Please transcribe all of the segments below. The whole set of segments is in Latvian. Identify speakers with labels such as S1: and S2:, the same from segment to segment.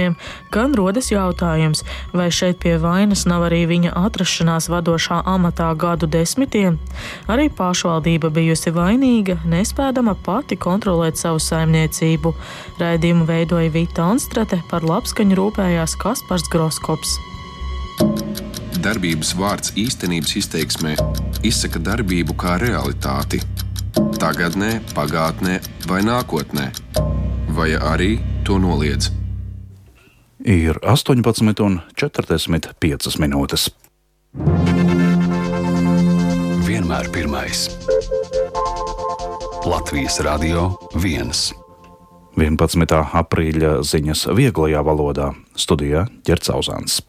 S1: pilsoņiem, gan rodas jautājums, vai šeit pie vainas nav arī viņa atrašanās vadošā amatā gadu desmitiem. Arī pašvaldība bijusi vainīga, nespēdama pati kontrolēt savu saimniecību. Raidījumu veidoja Vita Anstrate, par labskaņu rūpējās Kaspars Groskops.
S2: Darbības vārds īstenības izteiksmē izsaka darbību kā realitāti. Tagadnē, pagātnē vai nākotnē. Vai arī to noliedz.
S3: Ir 18:45 minūtes.
S4: Vienmēr pirmais. Latvijas Radio 1.
S3: 11. aprīļa ziņas vieglajā valodā. Studijā Ģerts Auzāns.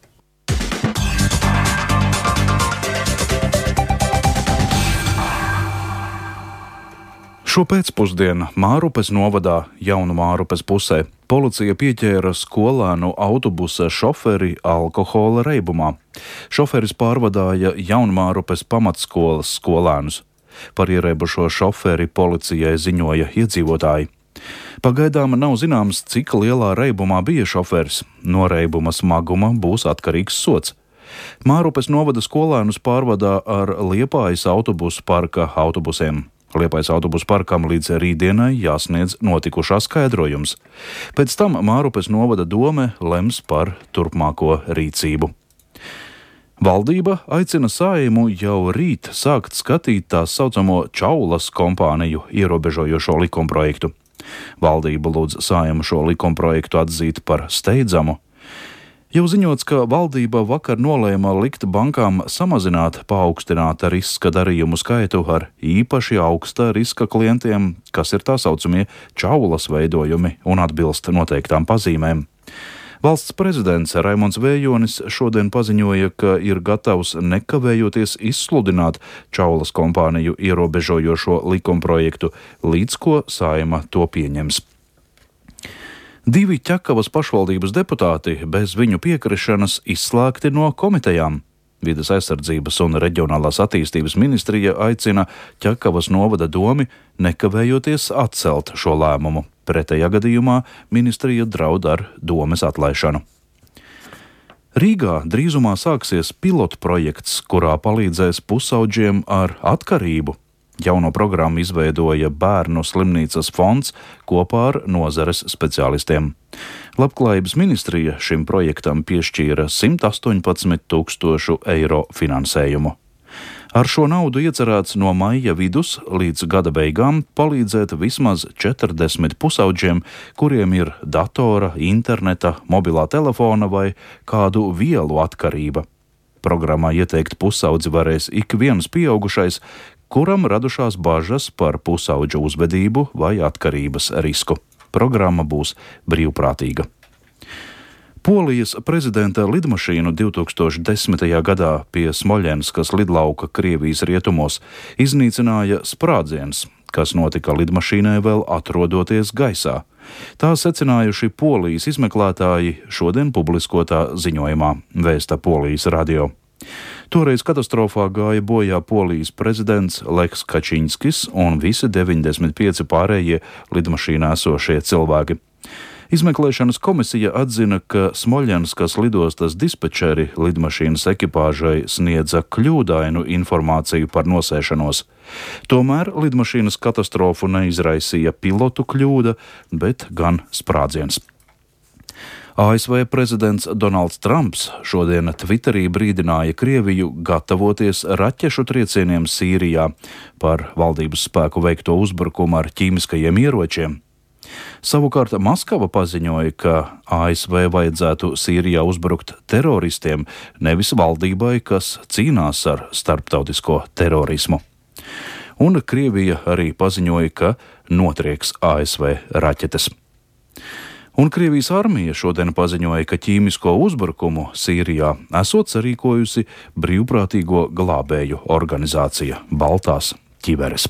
S3: Šo pēcpusdienu Mārupes novadā Jaunu Mārupes pusē policija pieķēra skolēnu autobusa šoferi alkohola reibumā. Šoferis pārvadāja Jaunu Mārupes pamatskolas skolēnus. Par ierēbušo šoferi policijai ziņoja iedzīvotāji. Pagaidām nav zināms, cik lielā reibumā bija šoferis. No reibuma smaguma būs atkarīgs sods. Mārupes novada skolēnus pārvadā ar Liepājas autobusu parka autobusiem. Liepājas autobusu parkam līdz rītdienai jāsniedz notikušā skaidrojums. Pēc tam Mārupes novada dome lems par turpmāko rīcību. Valdība aicina Saeimu jau rīt sākt skatīt tā saucamo Čaulas kompāniju ierobežojošo likumprojektu. Valdība lūdz Saeimu šo likumprojektu atzīt par steidzamu. Jau ziņots, ka valdība vakar nolēma likt bankām samazināt paaugstināta riska darījumu skaitu ar īpaši augsta riska klientiem, kas ir tā saucamie čaulas veidojumi un atbilst noteiktām pazīmēm. Valsts prezidents Raimonds Vējonis šodien paziņoja, ka ir gatavs nekavējoties izsludināt Čaulas kompāniju ierobežojošo likumprojektu, līdz ko Saeima to pieņems. 2 Ķekavas pašvaldības deputāti bez viņu piekrišanas izslēgti no komitejām. Vides aizsardzības un reģionālās attīstības ministrija aicina Ķekavas novada domi nekavējoties atcelt šo lēmumu. Pretējā gadījumā ministrija draud ar domes atlaišanu. Rīgā drīzumā sāksies pilotprojekts, kurā palīdzēs pusaudžiem ar atkarību. Jauno programmu izveidoja Bērnu slimnīcas fonds kopā ar nozares speciālistiem. Labklājības ministrija šim projektam piešķīra 118 000 eiro finansējumu. Ar šo naudu iecerēts no maija vidus līdz gada beigām palīdzēt vismaz 40 pusaudžiem, kuriem ir datora, interneta, mobilā telefona vai kādu vielu atkarība. Programmā ieteikt pusaudzi varēs ik viens pieaugušais, kuram radušās bažas par pusaudžu uzvedību vai atkarības risku. Programma būs brīvprātīga. Polijas prezidenta lidmašīnu 2010. gadā pie Smoļenskas lidlauka Krievijas rietumos iznīcināja sprādziens, kas notika lidmašīnai vēl atrodoties gaisā. Tā secinājuši Polijas izmeklētāji šodien publiskotā ziņojumā, vēsta Polijas radio. Toreiz katastrofā gāja bojā Polijas prezidents Leks Kačinskis un visi 95 pārējie lidmašīnā esošie cilvēki. Izmeklēšanas komisija atzina, ka Smoļenskas lidostas dispečeri lidmašīnas ekipāžai sniedza kļūdainu informāciju par nosēšanos. Tomēr lidmašīnas katastrofu neizraisīja pilotu kļūda, bet gan sprādziens. ASV prezidents Donalds Trumps šodien Twitterī brīdināja Krieviju gatavoties raķešu triecieniem Sīrijā par valdības spēku veikto uzbrukumu ar ķīmiskajiem ieročiem. Savukārt Maskava paziņoja, ka ASV vajadzētu Sīrijā uzbrukt teroristiem, nevis valdībai, kas cīnās ar starptautisko terorismu. Un Krievija arī paziņoja, ka notrieks ASV raķetes. Un Krievijas armija šodien paziņoja, ka ķīmisko uzbrukumu Sīrijā esot sarīkojusi brīvprātīgo glābēju organizācija Baltās ķiveres.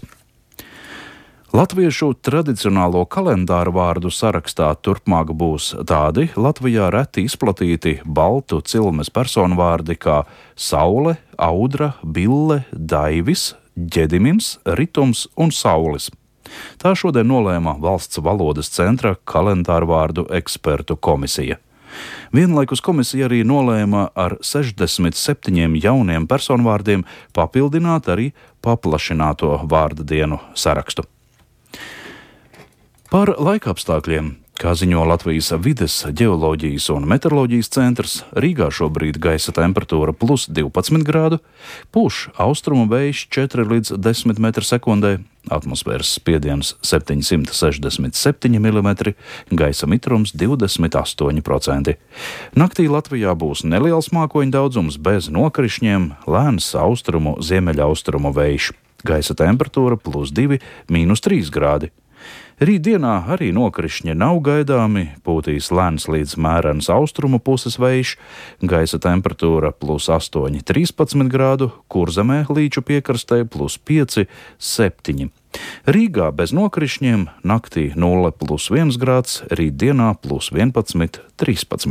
S3: Latviešu tradicionālo kalendāru vārdu sarakstā turpmāk būs tādi Latvijā reti izplatīti baltu cilmes personvārdi kā Saule, Audra, Bille, Daivis, Ģedimins, Ritums un Saulis. Tā šodien nolēma Valsts valodas centra kalendāru vārdu ekspertu komisija. Vienlaikus komisija arī nolēma ar 67 jauniem personvārdiem papildināt arī paplašināto vārda dienu sarakstu. Par laikapstākļiem. Kā ziņo Latvijas vides, ģeoloģijas un meteoroloģijas centrs, Rīgā šobrīd gaisa temperatūra plus 12 grādu, pūš austrumu vējš 4 līdz 10 m/sekundē, atmosfēras spiediens 767 mm, gaisa mitrums 28%. Naktī Latvijā būs neliels mākoņu daudzums bez nokrišņiem, lēns austrumu ziemeļaustrumu vējš, gaisa temperatūra plus 2, mīnus 3 grādi. Rītdienā arī nokrišņi nav gaidāmi, pūtīs lēns līdz mērens austrumu puses vējš, gaisa temperatūra plus 8, 13 grādu, Kurzemē līču piekrastē plus 5, 7. Rīgā bez nokrišņiem, naktī 0 plus 1 grāds, rītdienā plus 11, 13.